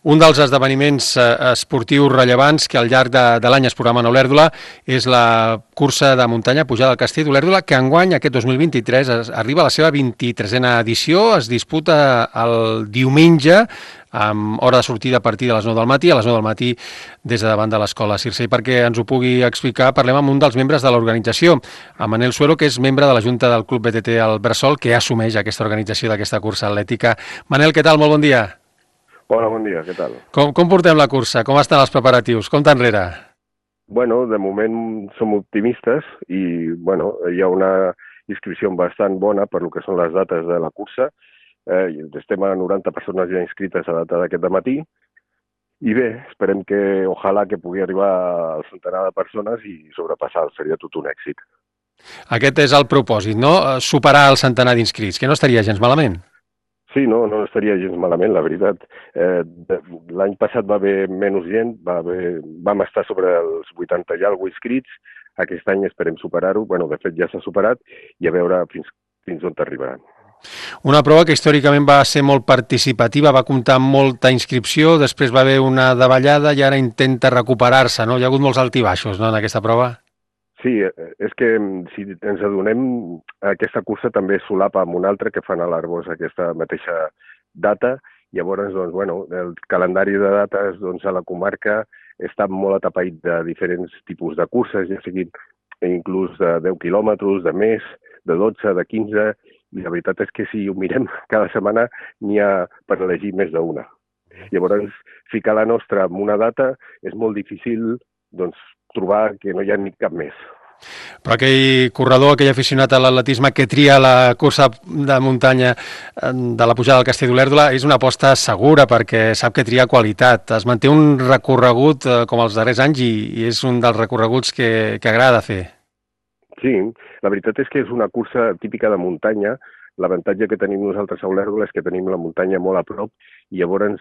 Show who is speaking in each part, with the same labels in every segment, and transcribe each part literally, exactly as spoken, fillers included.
Speaker 1: Un dels esdeveniments eh, esportius rellevants que al llarg de, de l'any es programen a Olèrdola és la cursa de muntanya pujada al Castell d'Olèrdola, que enguany, aquest dos mil vint-i-tres, es, arriba a la seva vint-i-tresena edició. Es disputa el diumenge, amb hora de sortida a partir de les nou del matí, a les nou del matí des de davant de l'Escola Circe. I perquè ens ho pugui explicar, parlem amb un dels membres de l'organització, amb Manel Suero, que és membre de la Junta del Club B T T al Bressol, que assumeix aquesta organització d'aquesta cursa atlètica. Manel, què tal? Molt bon dia.
Speaker 2: Hola, bon dia, què tal?
Speaker 1: Com, com portem la cursa? Com estan els preparatius? Com t'enrere?
Speaker 2: Bueno, de moment som optimistes i, bueno, hi ha una inscripció bastant bona per lo que són les dates de la cursa. Eh, estem a noranta persones ja inscrites a data d'aquest dematí i bé, esperem que, ojalà que pugui arribar al centenar de persones i sobrepassar, seria tot un èxit.
Speaker 1: Aquest és el propòsit, no? Superar el centenar d'inscrits, que no estaria gens malament.
Speaker 2: Sí, no, no estaria gens malament, la veritat. Eh, L'any passat va haver menys gent, va haver, vam estar sobre els vuitanta i alguna inscrits, aquest any esperem superar-ho, bueno, de fet ja s'ha superat, i a veure fins, fins on arribaran.
Speaker 1: Una prova que històricament va ser molt participativa, va comptar amb molta inscripció, després va haver una davallada i ara intenta recuperar-se, no? Hi ha hagut molts altibaixos, no?, en aquesta prova.
Speaker 2: Sí, és que si ens adonem, aquesta cursa també solapa amb una altra que fan a l'Arboç aquesta mateixa data. Llavors, doncs, bueno, el calendari de dates doncs, a la comarca està molt atapeït de diferents tipus de curses, ja siguin inclús de deu quilòmetres, de més, de dotze, de quinze, i la veritat és que si ho mirem cada setmana n'hi ha per elegir més d'una. Llavors, ficar la nostra en una data és molt difícil, doncs, trobar que no hi ha ni cap més.
Speaker 1: Però aquell corredor, aquell aficionat a l'atletisme que tria la cursa de muntanya de la pujada del Castell d'Olèrdola és una aposta segura perquè sap que tria qualitat. Es manté un recorregut com els darrers anys i, i és un dels recorreguts que, que agrada fer.
Speaker 2: Sí, la veritat és que és una cursa típica de muntanya. L'avantatge que tenim nosaltres a Olèrdola és que tenim la muntanya molt a prop i llavors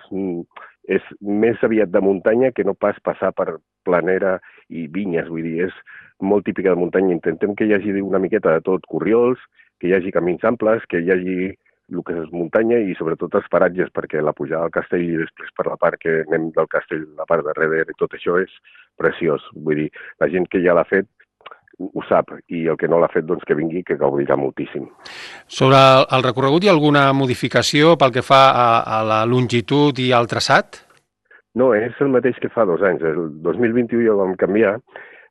Speaker 2: és més aviat de muntanya que no pas passar per planera i vinyes, vull dir, és molt típica de muntanya. Intentem que hi hagi una miqueta de tot, corriols, que hi hagi camins amples, que hi hagi el que és muntanya i sobretot els paratges, perquè la pujada al castell i després per la part que anem del castell, la part de darrere i tot això és preciós. Vull dir, la gent que ja l'ha fet ho sap, i el que no l'ha fet, doncs que vingui, que gaudirà moltíssim.
Speaker 1: Sobre el recorregut hi ha alguna modificació pel que fa a, a la longitud i al traçat?
Speaker 2: No, és el mateix que fa dos anys. El dos mil vint-i-u ja ho vam canviar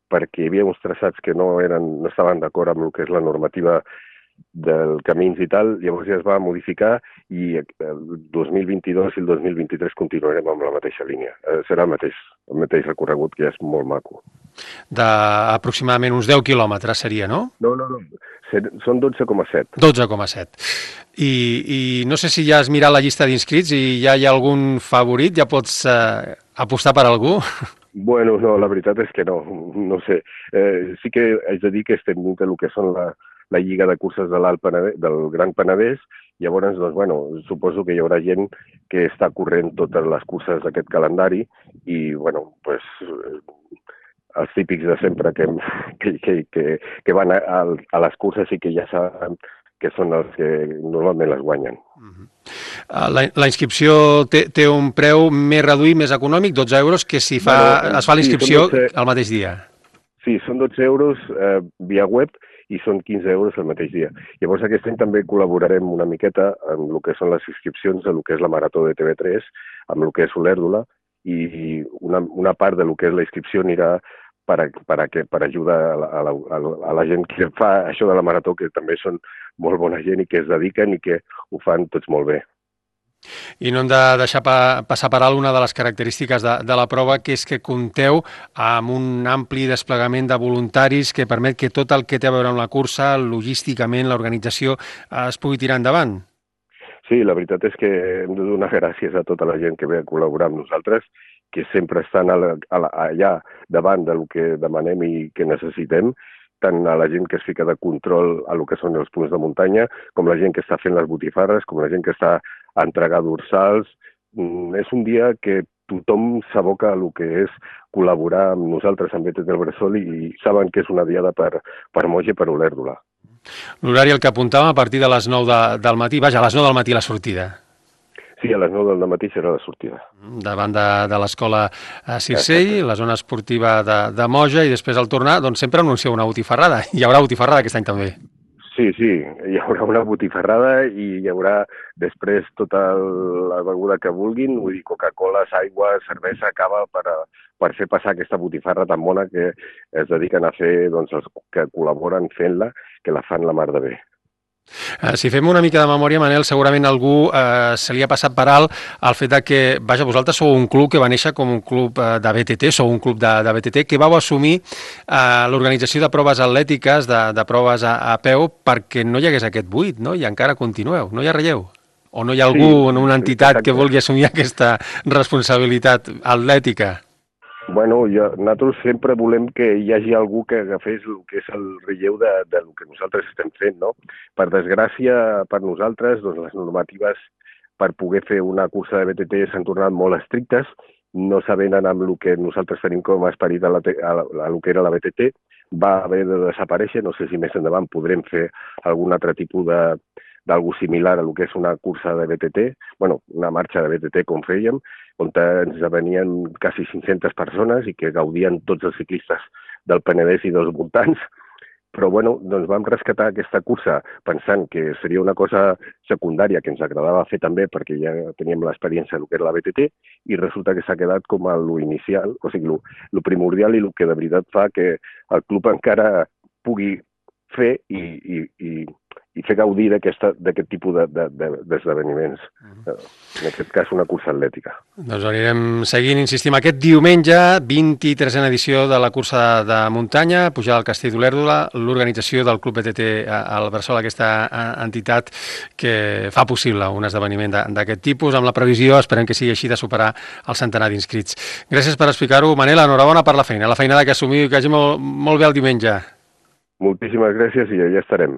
Speaker 2: perquè hi havia uns traçats que no, eren, no estaven d'acord amb el que és la normativa del camins i tal, llavors ja es va modificar i el dos mil vint-i-dos i el dos mil vint-i-tres continuarem amb la mateixa línia. Serà el mateix, el mateix recorregut, que ja és molt maco.
Speaker 1: D'aproximadament uns deu quilòmetres seria, no?
Speaker 2: No, no, no. Són dotze coma set.
Speaker 1: dotze coma set. I, I no sé si ja has mirat la llista d'inscrits i ja hi ha algun favorit, ja pots eh, apostar per algú?
Speaker 2: Bueno, no, la veritat és que no, no sé. Eh, sí que haig de dir que estem dins del que són la, la Lliga de Curses de l'Alt Penedès, del Gran Penedès, llavors, doncs, bueno, suposo que hi haurà gent que està corrent totes les curses d'aquest calendari i, bueno, pues, els típics de sempre que, que, que, que, que van a, a les curses i que ja saben que són els que normalment les guanyen.
Speaker 1: Uh-huh. La, la inscripció té, té un preu més reduït, més econòmic, dotze euros, que si fa, bueno, es fa la inscripció sí, dotze, el mateix dia.
Speaker 2: Sí, són dotze euros eh, via web i són quinze euros el mateix dia. Llavors aquest any també col·laborarem una miqueta amb el que són les inscripcions de lo que és la Marató de T V tres, amb el que és Olèrdola, i una, una part de lo que és la inscripció anirà per, a, per, a que, per ajudar a la, a, la, a la gent que fa això de la Marató, que també són molt bona gent i que es dediquen i que ho fan tots molt bé.
Speaker 1: I no hem de deixar pa, passar per alt una de les característiques de, de la prova, que és que compteu amb un ampli desplegament de voluntaris que permet que tot el que té a veure amb la cursa, logísticament, l'organització, es pugui tirar endavant.
Speaker 2: Sí, la veritat és que hem de donar gràcies a tota la gent que ve a col·laborar amb nosaltres, que sempre estan a la, a la, allà davant del que demanem i que necessitem, tant a la gent que es fica de control a lo que són els punts de muntanya, com la gent que està fent les botifarres, com la gent que està a entregar dorsals. És un dia que tothom s'aboca a lo que és col·laborar amb nosaltres amb B T T del Bressol i saben que és una diada per, per Moix i per Olèrdola.
Speaker 1: L'horari el que apuntàvem a partir de les nou de, del matí, vaja, a les nou del matí la sortida.
Speaker 2: Sí, Sí, a les nou del matí serà la sortida.
Speaker 1: Davant de, de l'escola Circell, la zona esportiva de, de Moja, i després al tornar, doncs sempre anuncieu una botifarrada. Hi haurà botifarrada aquest any també.
Speaker 2: Sí, sí, hi haurà una botifarrada i hi haurà després tota la beguda que vulguin, vull dir, Coca-Cola, aigua, cervesa, cava, per, a, per fer passar aquesta botifarra tan bona que es dediquen a fer doncs, els que col·laboren fent-la, que la fan la mar de bé.
Speaker 1: Si fem una mica de memòria, Manel, segurament algú eh, se li ha passat per alt el fet de que, vaja, vosaltres sou un club que va néixer com un club de B T T, sou un club de, de B T T, que vau assumir eh, l'organització de proves atlètiques, de, de proves a, a peu, perquè no hi hagués aquest buit, no? I encara continueu, no hi ha relleu? O no hi ha algú
Speaker 2: sí,
Speaker 1: en una entitat
Speaker 2: exacte.
Speaker 1: que vulgui assumir aquesta responsabilitat atlètica?
Speaker 2: Bueno, jo, nosaltres sempre volem que hi hagi algú que agafés el que és el relleu de, de lo que nosaltres estem fent, no? Per desgràcia, per nosaltres, doncs, les normatives per poder fer una cursa de B T T s'han tornat molt estrictes, no s'avenen amb el que nosaltres tenim com a esperit a, la, a, a lo que era la B T T, va haver de desaparèixer, no sé si més endavant podrem fer algun altre tipus de d'algú similar a lo que és una cursa de B T T, bueno, una marxa de B T T com fèiem, on ens venien quasi cinc-centes persones i que gaudien tots els ciclistes del Penedès i dels voltants, però bueno, doncs vam rescatar aquesta cursa pensant que seria una cosa secundària que ens agradava fer també perquè ja teníem l'experiència del que era la B T T i resulta que s'ha quedat com a lo inicial, o sigui, lo, lo primordial i lo que de veritat fa que el club encara pugui fer i, i, i, i fer gaudir d'aquest tipus d'esdeveniments. De, de, de, en aquest cas, una cursa atlètica.
Speaker 1: Doncs anirem seguint, insistim, aquest diumenge, vint-i-tresena edició de la cursa de, de muntanya, pujada al Castell d'Olèrdola, l'organització del Club B T T al Bressol, aquesta entitat que fa possible un esdeveniment d'aquest tipus, amb la previsió, esperem que sigui així, de superar el centenar d'inscrits. Gràcies per explicar-ho. Manel, enhorabona per la feina, la feinada que assumiu i que hagi molt, molt bé el diumenge.
Speaker 2: Moltíssimes gràcies i ja estarem.